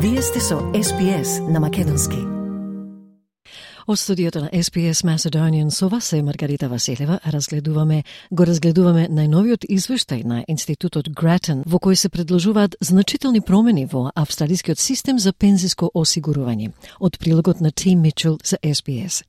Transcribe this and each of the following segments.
Вие сте со SPS на македонски. Од студиото на SPS Macedonian со вас е Маргарита Василева. Го разгледуваме најновиот извештај на Институтот Grattan, во кој се предложуваат значителни промени во австралискиот систем за пензиско осигурување. Од прилогот на Тим Мичел за SPS.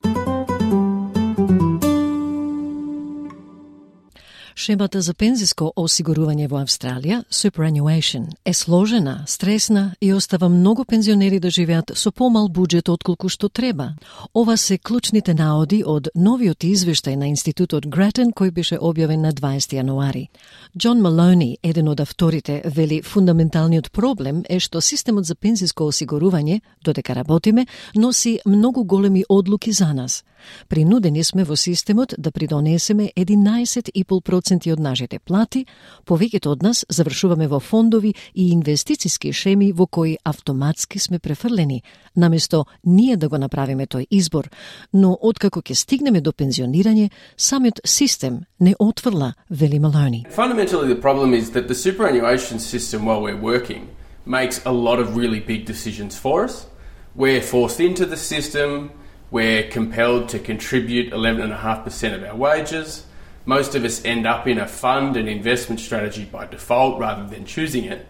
Шемата за пензиско осигурување во Австралија, superannuation, е сложена, стресна и остава многу пензионери да живеат со помал буџет отколку што треба. Ова се клучните наоди од новиот извештај на Институтот Grattan кој беше објавен на 20 јануари. Џон Малони, еден од авторите, вели фундаменталниот проблем е што системот за пензиско осигурување, додека работиме, носи многу големи одлуки за нас. Принудени сме во системот да придонесеме 11,5% од нашите плати, повеќето од нас завршуваме во фондови и инвестициски шеми во кои автоматски сме префрлени, наместо ние да го направиме тој избор, но откако ќе стигнеме до пензионирање, самиот систем не отфрла, вели Малони. Fundamentally the problem is that the superannuation system while we're working makes a lot of really big decisions for us. We're forced into the system. We're compelled to contribute 11.5% of our wages. Most of us end up in a fund and investment strategy by default rather than choosing it.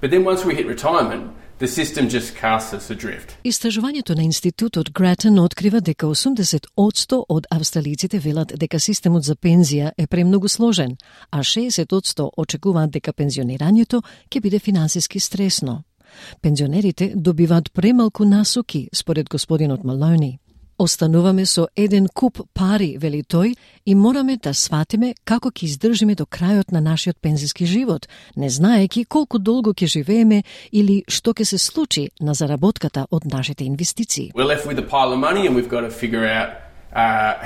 But then once we hit retirement, the system just casts us adrift. Истражувањето на Институтот Grattan открива дека 80% од австралиците велат дека системот за пензија е премногу сложен, а 60% очекуваат дека пензионирањето ќе биде финансиски стресно. Пензионерите добиваат премалку насоки, според господинот Малони. Остануваме со еден куп пари, вели тој, и мораме да сватиме како ќе издржиме до крајот на нашиот пензиски живот, не знаеки колку долго ќе живееме или што ќе се случи на заработката од нашите инвестиции. We're left with a pile of money and we've got to figure out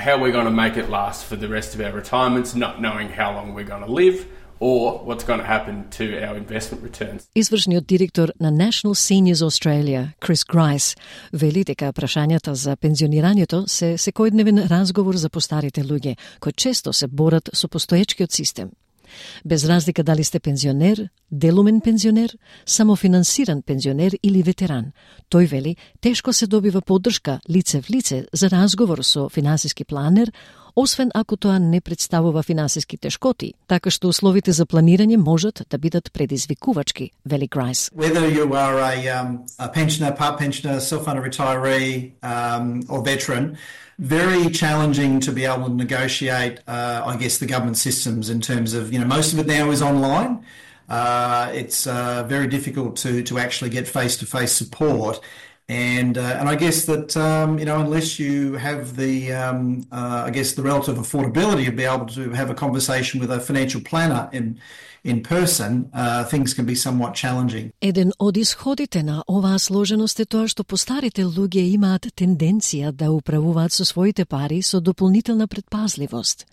how we're going to make it last for the rest of our retirements, not knowing how long we're going to live or what's going to happen to our investment returns. Извршниот директор на National Seniors Australia, Chris Grice, вели дека прашањата за пензионирањето се секојдневен разговор за постарите луѓе, кои често се борат со постоечкиот систем. Без разлика дали сте пензионер, делумен пензионер, самофинансиран пензионер или ветеран, тој вели тешко се добива поддршка лице в лице за разговор со финансиски планер, освен ако тоа не представува финансиски тешкоти, така што условите за планирање можат да бидат предизвикувачки, вели Грайс. Whether you are a pensioner, part pensioner, self-funded retiree or veteran, very challenging to be able to negotiate, I guess, the government systems in terms of, most of it now is online. It's very difficult to actually get face-to-face support. And I guess that, unless you have the relative affordability to be able to have a conversation with a financial planner in person, things can be somewhat challenging. Еден од исходите на оваа сложеност е тоа што постарите луѓе имаат тенденција да управуваат со своите пари со дополнителна предпазливост.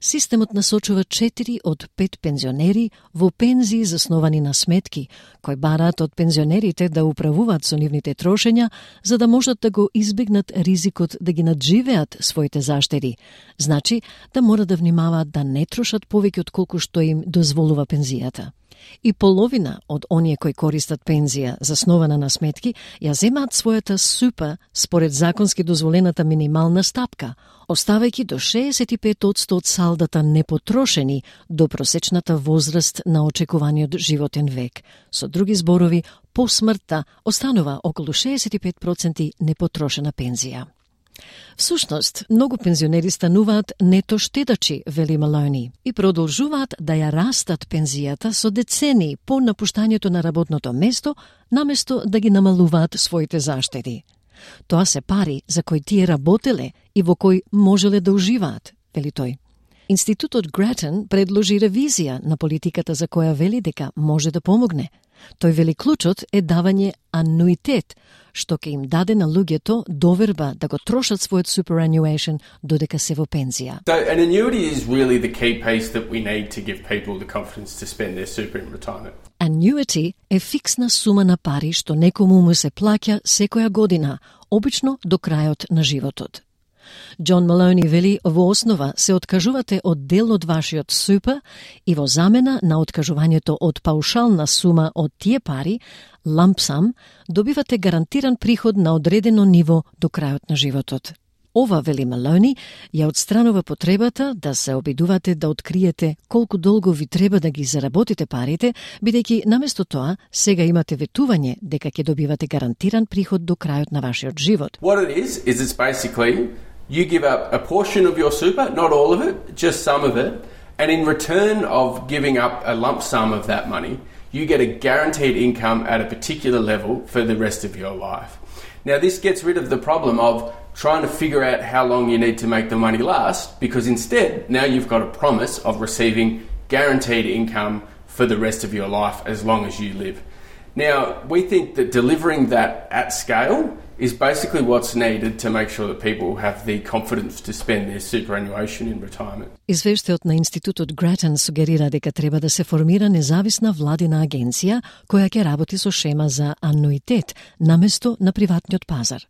Системот насочува 4 од 5 пензионери во пензии засновани на сметки, кои бараат од пензионерите да управуваат со нивните трошења, за да можат да го избегнат ризикот да ги надживеат своите заштеди. Значи, да мора да внимаваат да не трошат повеќе од колку што им дозволува пензијата. И половина од оние кои користат пензија заснована на сметки ја земаат својата супа според законски дозволената минимална стапка, оставајќи до 65% од салдата непотрошени до просечната возраст на очекуваниот животен век. Со други зборови, по смртта останува околу 65% непотрошена пензија. Всушност, многу пензионери стануваат нето штедачи, вели Малони, и продолжуваат да ја растат пензијата со децении по напуштањето на работното место, наместо да ги намалуваат своите заштеди. Тоа се пари за кои тие работеле и во кои можеле да уживаат, вели тој. Институтот Grattan предложи ревизија на политиката за која вели дека може да помогне. Тој вели клучот е давање ануитет, што ќе им даде на луѓето доверба да го трошат својот superannuation додека се во пензија. So an annuity is really the key piece that we need to give people the confidence to spend their super in retirement. Annuity е фиксна сума на пари што некому му се плаќа секоја година, обично до крајот на животот. Џон Малони вели, во основа се откажувате од дел од вашиот супер и во замена на откажувањето од паушална сума од тие пари, lump sum, добивате гарантиран приход на одредено ниво до крајот на животот. Ова, вели Малони, ја отстранува потребата да се обидувате да откриете колку долго ви треба да ги заработите парите, бидејќи наместо тоа сега имате ветување дека ќе добивате гарантиран приход до крајот на вашиот живот. What it is it's basically you give up a portion of your super, not all of it, just some of it, and in return of giving up a lump sum of that money, you get a guaranteed income at a particular level for the rest of your life. Now, this gets rid of the problem of trying to figure out how long you need to make the money last, because instead, now you've got a promise of receiving guaranteed income for the rest of your life as long as you live. Now, we think that delivering that at scale is basically what's needed to make sure that people have the confidence to spend their superannuation in retirement. Извештајот на Институтот Гратен сугерира дека треба да се формира независна владина агенција која ќе работи со шема за ануитет наместо на приватниот пазар.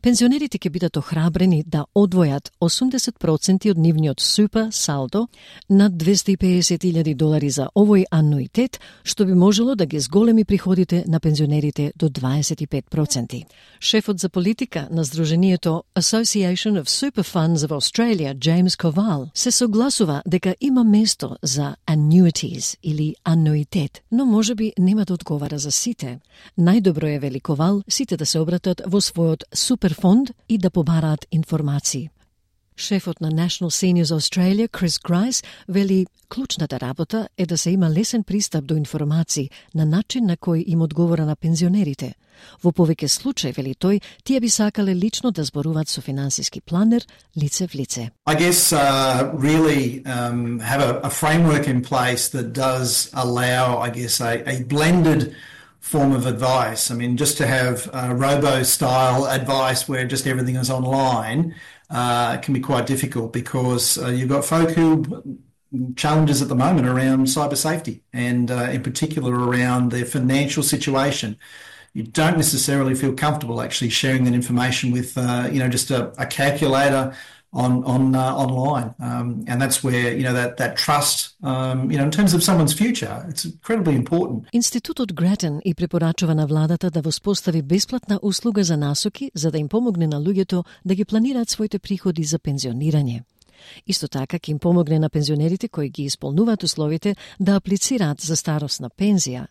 Пензионерите ќе бидат охрабрени да одвојат 80% од нивниот супер салдо над $250,000 за овој ануитет, што би можело да ги зголеми приходите на пензионерите до 25%. Шефот за политика на Сдруженијето Association of Super Funds of Australia, James Koval, се согласува дека има место за annuities или ануитет, но можеби нема да одговара за сите. Најдобро е, вели Ковал, сите да се обратат во својот суперфонд и да побараат информации. Шефот на National Seniors Australia, Chris Grice, вели клучната работа е да се има лесен пристап до информации на начин на кој им одговора на пензионерите. Во повеќе случаи, вели тој, тие би сакале лично да зборуваат со финансиски планер лице в лице. I guess really have a framework in place that does allow, I guess, a blended form of advice. I mean, just to have robo-style advice where just everything is online can be quite difficult because you've got folk who challenges at the moment around cyber safety and in particular around their financial situation. You don't necessarily feel comfortable actually sharing that information with, just a calculator online, and that's where that trust, in terms of someone's future, it's incredibly important. Институтот Гратен и препорачува на владата да воспостави бесплатна услуга за насоки за да им помогне на луѓето да ги планираат своите приходи за пензионирање. Исто така ќе им помогне на пензионерите кои ги исполнуваат условите да аплицираат за старосна пензија.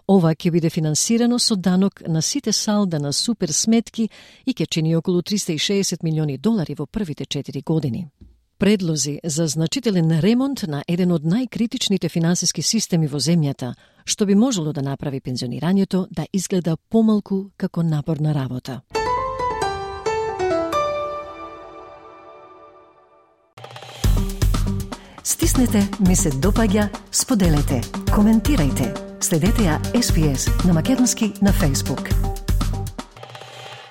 Ова ќе биде финансирано со данок на сите салда на супер сметки и ќе чини околу $360 милиони во првите 4 години. Предлози за значителен ремонт на еден од најкритичните финансиски системи во земјата, што би можело да направи пензионирањето да изгледа помалку како напорна работа. Стиснете, ми се допаѓа, споделете, коментирајте. Следете ја SPS на македонски на Facebook.